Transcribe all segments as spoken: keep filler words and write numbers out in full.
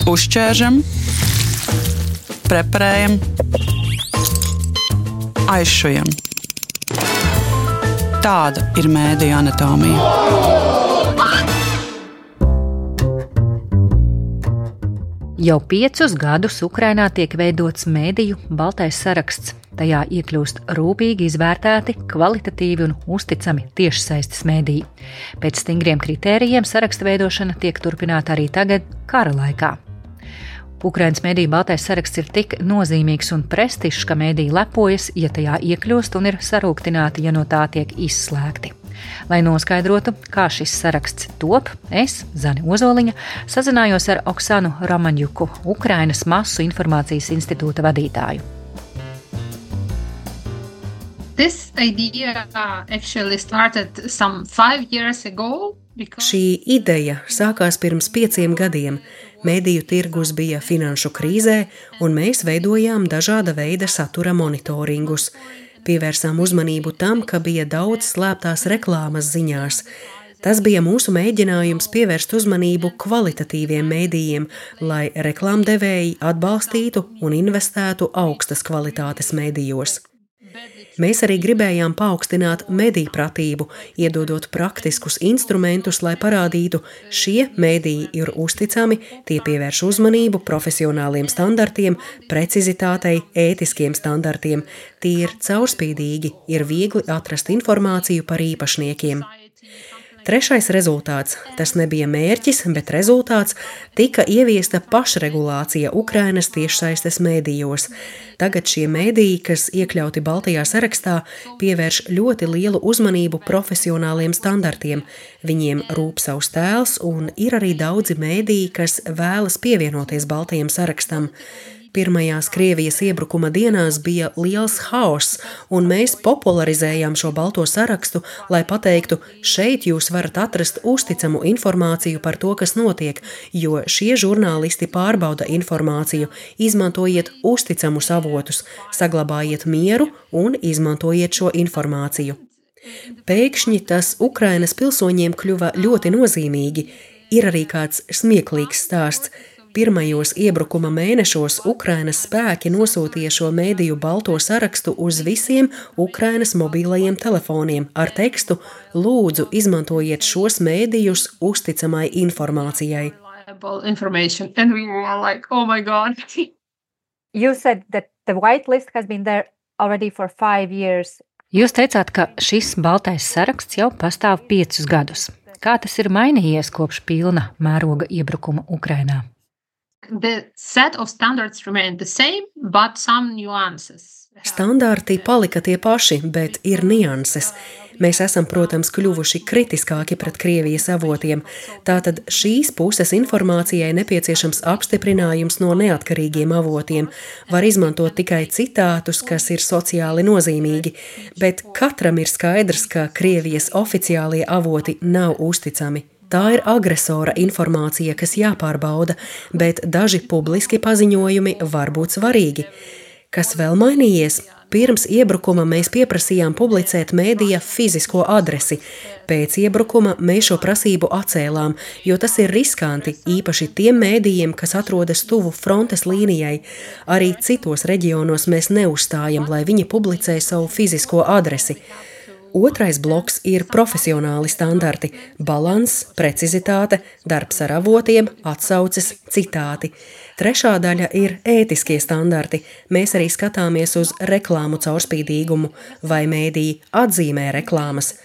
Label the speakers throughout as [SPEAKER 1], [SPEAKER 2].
[SPEAKER 1] Uzķēršam, preparējam, aizšujam. Tāda ir mēdīju anatomija.
[SPEAKER 2] Jau piecus gadus Ukrainā tiek veidots mēdīju baltais saraksts. Tajā iekļūst rūpīgi izvērtēti, kvalitatīvi un uzticami tiešsaistes mēdīji. Pēc stingriem kritērijiem saraksta veidošana tiek turpināta arī tagad, kara laikā. Ukrainas mēdīju baltais saraksts ir tik nozīmīgs un prestižs, ka mēdīji lepojas, ja tajā iekļūst un ir sarūktināti, ja no tā tiek izslēgti. Lai noskaidrotu, kā šis saraksts top, es, Zane Ozoliņa, sazinājos ar Oksanu Romaņjuku, Ukrainas masu informācijas institūta vadītāju.
[SPEAKER 3] This idea actually started some five years ago. Because...
[SPEAKER 4] Šī ideja sākās pirms pieciem gadiem. Mēdīju tirgus bija finanšu krīzē, un mēs veidojām dažāda veida satura monitoringus. Pievērsām uzmanību tam, ka bija daudz slēptās reklāmas ziņās. Tas bija mūsu mēģinājums pievērst uzmanību kvalitatīviem mēdījiem, lai reklāmdevēji atbalstītu un investētu augstas kvalitātes mēdījos. Mēs arī gribējām paaugstināt medijpratību, iedodot praktiskus instrumentus, lai parādītu, šie mediji ir uzticami, tie pievērš uzmanību profesionāliem standartiem, precizitātei, ētiskiem standartiem, tie ir caurspīdīgi, ir viegli atrast informāciju par īpašniekiem. Trešais rezultāts, tas nebija mērķis, bet rezultāts, tika ieviesta pašregulācija Ukrainas tiešsaistes mēdījos. Tagad šie mēdīji, kas iekļauti baltajā sarakstā, pievērš ļoti lielu uzmanību profesionāliem standartiem. Viņiem rūp savs tēls un ir arī daudzi mēdīji, kas vēlas pievienoties baltajam sarakstam. Pirmajās Krievijas iebrukuma dienās bija liels haoss, un mēs popularizējām šo balto sarakstu, lai pateiktu, šeit jūs varat atrast uzticamu informāciju par to, kas notiek, jo šie žurnālisti pārbauda informāciju, izmantojiet uzticamus avotus, saglabājiet mieru un izmantojiet šo informāciju. Pēkšņi tas Ukrainas pilsoņiem kļuva ļoti nozīmīgi. Ir arī kāds smieklīgs stāsts. Pirmajos iebrukuma mēnešos Ukrainas spēki nosūtīja šo mēdīju balto sarakstu uz visiem Ukrainas mobilajiem telefoniem ar tekstu: lūdzu, izmantojiet šos mēdījus uzticamai informācijai.
[SPEAKER 3] And we were like, oh my God.
[SPEAKER 5] You said that the white list has been there already for five years.
[SPEAKER 2] Jūs teicāt, ka šis baltais saraksts jau pastāv piecus gadus. Kā tas ir mainījies kopš pilna mēroga iebrukuma Ukrainā?
[SPEAKER 3] The set of standards remained the same, but some nuances.
[SPEAKER 4] Standarti palika tie paši, bet ir nianses. Mēs esam, protams, kļuvuši kritiskāki pret Krievijas avotiem. Tātad šīs puses informācijai nepieciešams apstiprinājums no neatkarīgiem avotiem. Var izmantot tikai citātus, kas ir sociāli nozīmīgi, bet katram ir skaidrs, ka Krievijas oficiālie avoti nav uzticami. Tā ir agresora informācija, kas jāpārbauda, bet daži publiski paziņojumi var būt svarīgi. Kas vēl mainījies? Pirms iebrukuma mēs pieprasījām publicēt mēdīja fizisko adresi. Pēc iebrukuma mēs šo prasību atcēlām, jo tas ir riskanti, īpaši tiem mēdījiem, kas atrodas tuvu frontes līnijai. Arī citos reģionos mēs neuzstājam, lai viņi publicē savu fizisko adresi. Otrais bloks ir profesionāli standarti – balanss, precizitāte, darbs ar avotiem, atsauces, citāti. Trešā daļa ir ētiskie standarti. Mēs arī skatāmies uz reklāmu caurspīdīgumu, vai mēdīji atzīmē reklāmas.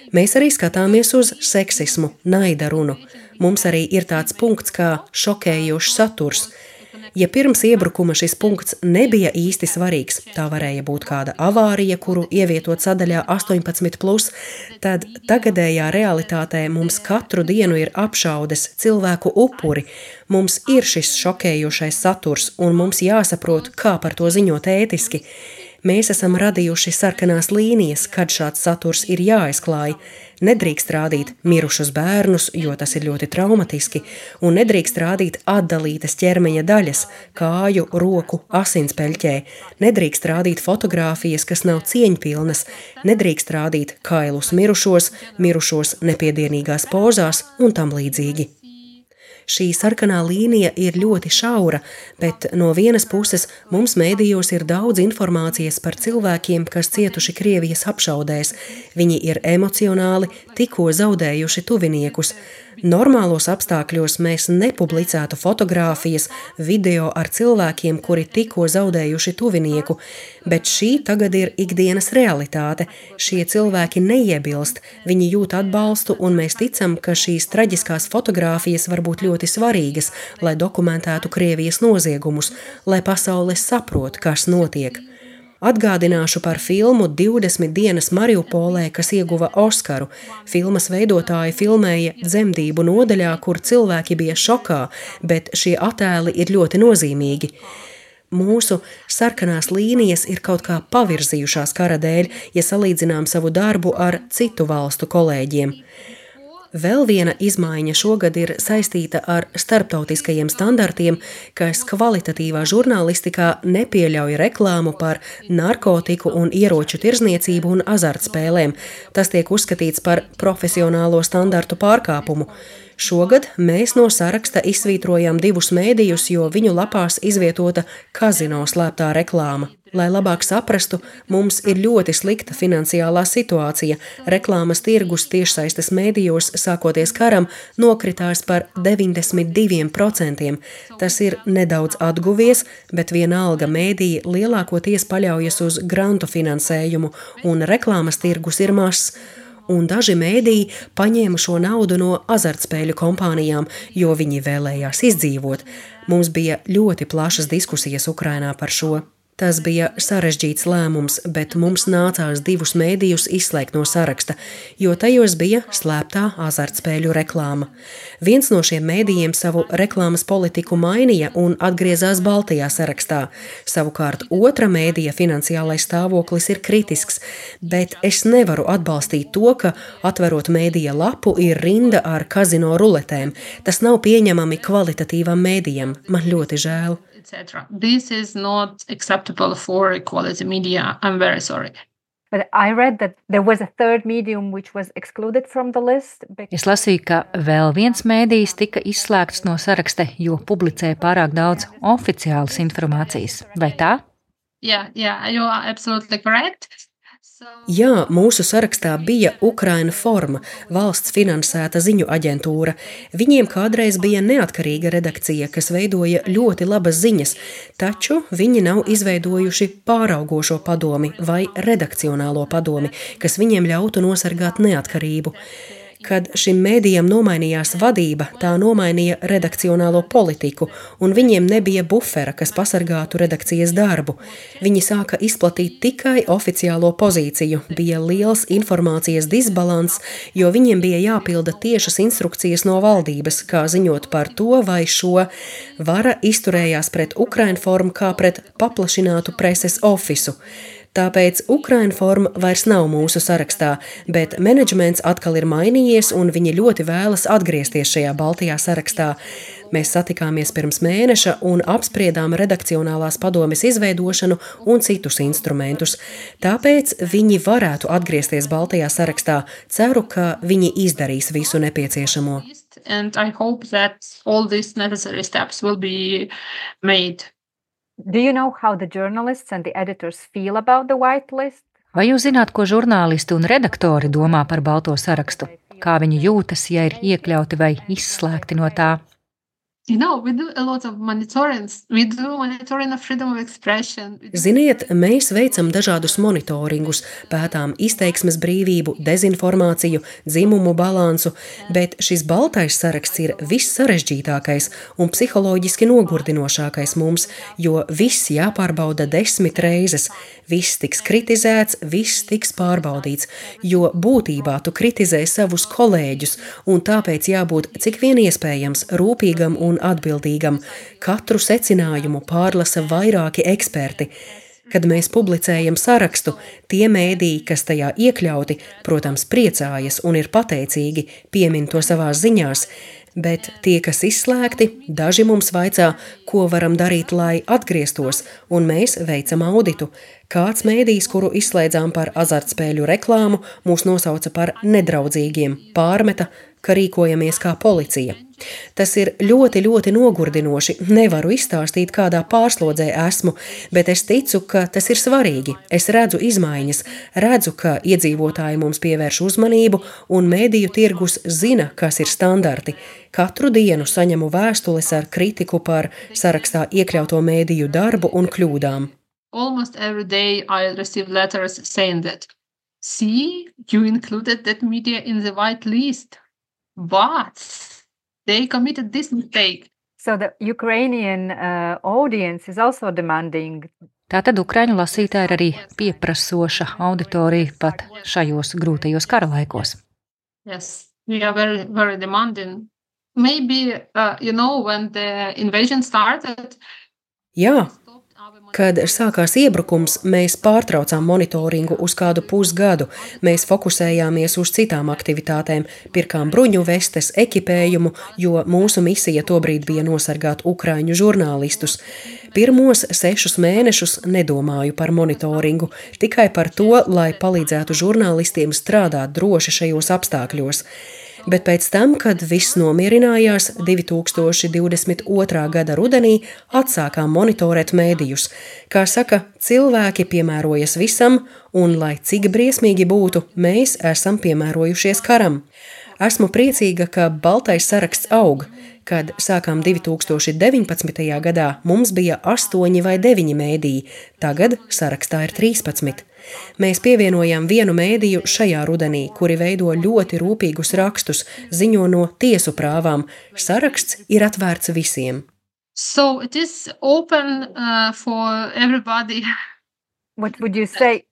[SPEAKER 4] Mēs arī skatāmies uz seksismu, naida runu. Mums arī ir tāds punkts kā šokējošs saturs. Ja pirms iebrukuma šis punkts nebija īsti svarīgs, tā varēja būt kāda avārija, kuru ievietot sadaļā astoņpadsmit plus, tad tagadējā realitātē mums katru dienu ir apšaudes, cilvēku upuri. Mums ir šis šokējošais saturs, un mums jāsaprot, kā par to ziņot ētiski. Mēs esam radījuši sarkanās līnijas, kad šāds saturs ir jāizklāj. Nedrīkst rādīt mirušus bērnus, jo tas ir ļoti traumatiski, un nedrīkst rādīt atdalītas ķermeņa daļas, kāju, roku, asinspeļķē. Nedrīkst rādīt fotogrāfijas, kas nav cieņpilnas. Nedrīkst rādīt kailus mirušos, mirušos nepiedienīgās pozās un tam līdzīgi. Šī sarkanā līnija ir ļoti šaura, bet no vienas puses mums mēdījos ir daudz informācijas par cilvēkiem, kas cietuši Krievijas apšaudēs. Viņi ir emocionāli, tikko zaudējuši tuviniekus. Normālos apstākļos mēs nepublicētu fotogrāfijas, video ar cilvēkiem, kuri tikko zaudējuši tuvinieku, bet šī tagad ir ikdienas realitāte. Šie cilvēki neiebilst, viņi jūt atbalstu, un mēs ticam, ka šīs traģiskās fotogrāfijas var būt ļoti svarīgas, lai dokumentētu Krievijas noziegumus, lai pasaule saprot, kas notiek. Atgādināšu par filmu divdesmit dienas Mariupolē, kas ieguva Oskaru. Filmas veidotāji filmēja dzemdību nodaļā, kur cilvēki bija šokā, bet šie attēli ir ļoti nozīmīgi. Mūsu sarkanās līnijas ir kaut kā pavirzījušās kara dēļ, ja salīdzinām savu darbu ar citu valstu kolēģiem. Vēl viena izmaiņa šogad ir saistīta ar starptautiskajiem standartiem, kas kvalitatīvā žurnālistikā nepieļauj reklāmu par narkotiku un ieroču tirzniecību un azartspēlēm. Tas tiek uzskatīts par profesionālo standartu pārkāpumu. Šogad mēs no saraksta izsvītrojām divus mēdījus, jo viņu lapās izvietota kazino slēptā reklāma. Lai labāk saprastu, mums ir ļoti slikta finansiālā situācija. Reklāmas tirgus tiešsaistes mēdījos, sākoties karam, nokritās par deviņdesmit diviem procentiem. Tas ir nedaudz atguvies, bet vienalga mēdīji lielākoties paļaujas uz grantu finansējumu, un reklāmas tirgus ir mazs. Un daži mēdīji paņēma šo naudu no azartspēļu kompānijām, jo viņi vēlējās izdzīvot. Mums bija ļoti plašas diskusijas Ukrainā par šo. Tas bija sarežģīts lēmums, bet mums nācās divus mēdījus izslēgt no saraksta, jo tajos bija slēptā azartspēļu reklāma. Viens no šiem mēdījiem savu reklāmas politiku mainīja un atgriezās baltajā sarakstā. Savukārt otra mēdīja finansiālais stāvoklis ir kritisks, bet es nevaru atbalstīt to, ka atverot mēdīja lapu ir rinda ar kazino ruletēm. Tas nav pieņemami kvalitatīvam mēdījam. Man ļoti žēl.
[SPEAKER 3] et cetera. This is not acceptable for quality media. I'm very sorry.
[SPEAKER 5] But I read that there was a third medium which was excluded from the list.
[SPEAKER 2] Es lasīju, ka vēl viens mēdījis tika izslēgts no saraksta, jo publicēja pārāk daudz oficiālas informācijas. Vai tā?
[SPEAKER 3] Yeah, yeah, you are absolutely correct.
[SPEAKER 4] Jā, mūsu sarakstā bija Ukraina Forma, valsts finansēta ziņu aģentūra. Viņiem kādreiz bija neatkarīga redakcija, kas veidoja ļoti labas ziņas, taču viņi nav izveidojuši pāraugošo padomi vai redakcionālo padomi, kas viņiem ļautu nosargāt neatkarību. Kad šim mēdījam nomainījās vadība, tā nomainīja redakcionālo politiku, un viņiem nebija bufera, kas pasargātu redakcijas darbu. Viņi sāka izplatīt tikai oficiālo pozīciju, bija liels informācijas disbalans, jo viņiem bija jāpilda tiešas instrukcijas no valdības, kā ziņot par to vai šo. Vara izturējās pret Ukrainformu kā pret paplašinātu preses ofisu. Tāpēc Ukrainforma vairs nav mūsu sarakstā, bet menedžments atkal ir mainījies un viņi ļoti vēlas atgriezties šajā baltajā sarakstā. Mēs satikāmies pirms mēneša un apspriedām redakcionālās padomes izveidošanu un citus instrumentus. Tāpēc viņi varētu atgriezties baltajā sarakstā. Ceru, ka viņi izdarīs visu nepieciešamo.
[SPEAKER 3] And I hope that all these necessary steps will be made.
[SPEAKER 5] Do you know how the journalists and the editors feel about the white list?
[SPEAKER 2] Vai jūs zināt, ko žurnālisti un redaktori domā par balto sarakstu? Kā viņi jūtas, ja ir iekļauti vai izslēgti no tā?
[SPEAKER 3] You know, we do a lot of monitoring. We do monitoring of freedom of expression.
[SPEAKER 4] Ziniet, mēs veicam dažādus monitoringus, pētām izteiksmes brīvību, dezinformāciju, dzimumu balansu, bet šis baltais saraksts ir viss sarežģītākais un psiholoģiski nogurdinošākais mums, jo viss jāpārbauda desmit reizes. Viss tiks kritizēts, viss tiks pārbaudīts, jo būtībā tu kritizē savus kolēģus, un tāpēc jābūt cik vien iespējams rūpīgam un atbildīgam. Katru secinājumu pārlasa vairāki eksperti. Kad mēs publicējam sarakstu, tie mēdīji, kas tajā iekļauti, protams, priecājas un ir pateicīgi, piemin to savās ziņās, bet tie, kas izslēgti, daži mums vaicā, ko varam darīt, lai atgrieztos, un mēs veicam auditu. Kāds mēdījis, kuru izslēdzām par azartspēļu reklāmu, mūs nosauca par nedraudzīgiem, pārmeta, ka rīkojamies kā policija. Tas ir ļoti, ļoti nogurdinoši. Nevaru izstāstīt, kādā pārslodzē esmu, bet es ticu, ka tas ir svarīgi. Es redzu izmaiņas, redzu, ka iedzīvotāji mums pievērš uzmanību un mēdīju tirgus zina, kas ir standarti. Katru dienu saņemu vēstules ar kritiku par sarakstā iekļauto mēdīju darbu un kļūdām.
[SPEAKER 3] Almost every day I receive letters saying that, see, you included that media in the white list, but they committed this mistake.
[SPEAKER 5] So the Ukrainian uh, audience is also demanding.
[SPEAKER 2] Tātad ukraiņu lasītāji ir arī pieprasoša auditorija pat šajos grūtajos kara laikos.
[SPEAKER 3] Yes, we are very, very demanding. Maybe, uh, you know, when the invasion started.
[SPEAKER 4] Jā. Kad sākās iebrukums, mēs pārtraucām monitoringu uz kādu pusgadu. Mēs fokusējāmies uz citām aktivitātēm, pirkām bruņu vestes, ekipējumu, jo mūsu misija tobrīd bija nosargāt ukraiņu žurnālistus. Pirmos sešus mēnešus nedomāju par monitoringu, tikai par to, lai palīdzētu žurnālistiem strādāt droši šajos apstākļos. Bet pēc tam, kad viss nomierinājās, divi tūkstoši divdesmit otrā gada rudenī atsākām monitorēt mēdījus. Kā saka, cilvēki piemērojas visam, un, lai cik briesmīgi būtu, mēs esam piemērojušies karam. Esmu priecīga, ka baltais saraksts aug. Kad sākām divi tūkstoši deviņpadsmitajā gadā, mums bija astoņi vai deviņi mēdīji, tagad sarakstā ir trīspadsmit. Mēs pievienojām vienu mēdīju šajā rudenī, kuri veido ļoti rūpīgus rakstus, ziņo no tiesu prāvām. Saraksts ir atvērts visiem.
[SPEAKER 3] So it is open uh, for everybody.
[SPEAKER 5] What would you say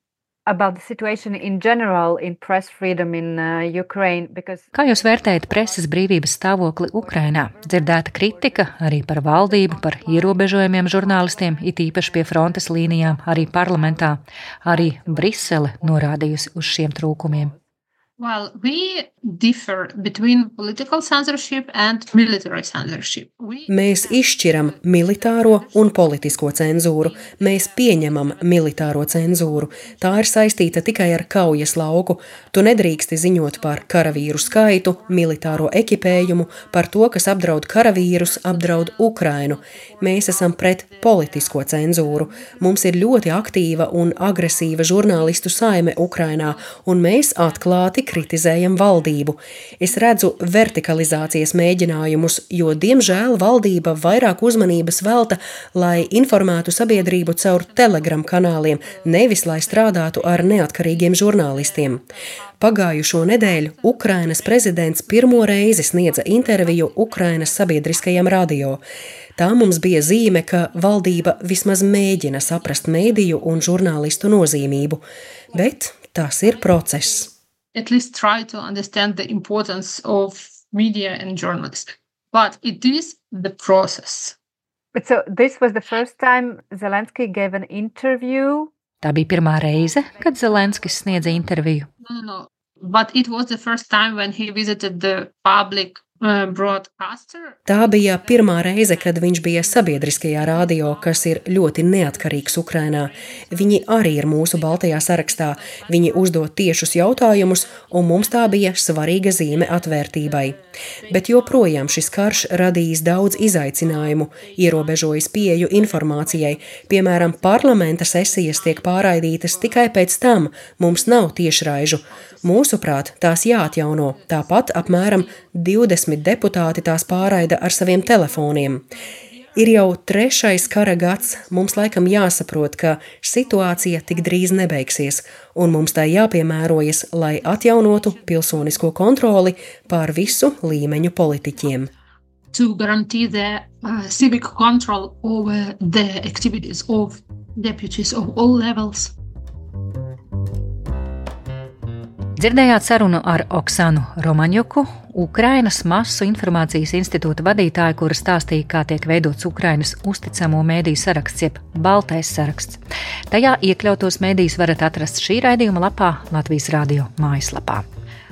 [SPEAKER 5] about the situation in general in press freedom in uh, Ukraine? Because...
[SPEAKER 2] Kā jūs vērtējat preses brīvības stāvokli Ukrainā? Dzirdēta kritika arī par valdību, par ierobežojumiem žurnālistiem, it īpaši pie frontes līnijām, arī parlamentā. Arī Brisele norādījusi uz šiem trūkumiem.
[SPEAKER 3] Well, we differ between political censorship and military censorship. We...
[SPEAKER 4] Mēs izšķiram militāro un politisko cenzūru. Mēs pieņemam militāro cenzūru. Tā ir saistīta tikai ar kaujas lauku. Tu nedrīksti ziņot par karavīru skaitu, militāro ekipējumu, par to, kas apdraud karavīrus, apdraud Ukrainu. Mēs esam pret politisko cenzūru. Mums ir ļoti aktīva un agresīva žurnālistu saime Ukrainā, un mēs atklāti kritizējam valdību. Es redzu vertikalizācijas mēģinājumus, jo, diemžēl, valdība vairāk uzmanības velta, lai informētu sabiedrību caur Telegram kanāliem, nevis lai strādātu ar neatkarīgiem žurnālistiem. Pagājušo nedēļu Ukrainas prezidents pirmo reizi sniedza interviju Ukrainas sabiedriskajam radio. Tā mums bija zīme, ka valdība vismaz mēģina saprast mēdīju un žurnālistu nozīmību, bet tas ir process.
[SPEAKER 3] At least try to understand the importance of media and journalists. But it is the process.
[SPEAKER 5] But so this was the first time Zelensky gave an interview.
[SPEAKER 2] Tā bija pirmā reize, kad Zelenskis sniedza interviju.
[SPEAKER 3] No, no, no. But it was the first time when he visited the public uh, broadcaster.
[SPEAKER 4] Tā bija pirmā reize, kad viņš bija sabiedriskajā radio, kas ir ļoti neatkarīgs Ukrainā. Viņi arī ir mūsu baltajā sarakstā. Viņi uzdod tiešus jautājumus, un mums tā bija svarīga zīme atvērtībai. Bet joprojām šis karš radījis daudz izaicinājumu, ierobežojis pieeju informācijai. Piemēram, parlamenta sesijas tiek pārraidītas tikai pēc tam, mums nav tiešraižu. Mūsuprāt, tās jāatjauno, tāpat apmēram divdesmit deputāti tās pārraida ar saviem telefoniem. Ir jau trešais kara gads, mums laikam jāsaprot, ka situācija tik drīz nebeigsies, un mums tā jāpiemērojas, lai atjaunotu pilsonisko kontroli pār visu līmeņu politiķiem.
[SPEAKER 3] To guarantee the uh, civic control over the activities of deputies of all levels.
[SPEAKER 2] Dzirdējāt sarunu ar Oksanu Romaņuku, Ukrainas masu informācijas institūta vadītāju, kura stāstīja, kā tiek veidots Ukrainas uzticamo mēdīju saraksts, jeb baltais saraksts. Tajā iekļautos mēdījus varat atrast šī raidījuma lapā Latvijas radio mājaslapā.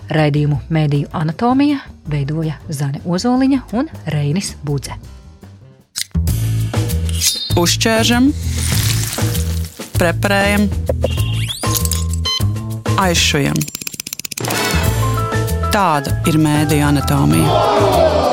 [SPEAKER 2] Raidījumu Mēdīju anatomija veidoja Zane Ozoliņa un Reinis Budze.
[SPEAKER 1] Uzķēršam, preparējam, aizšujam. Tāda ir mēdīju anatomija.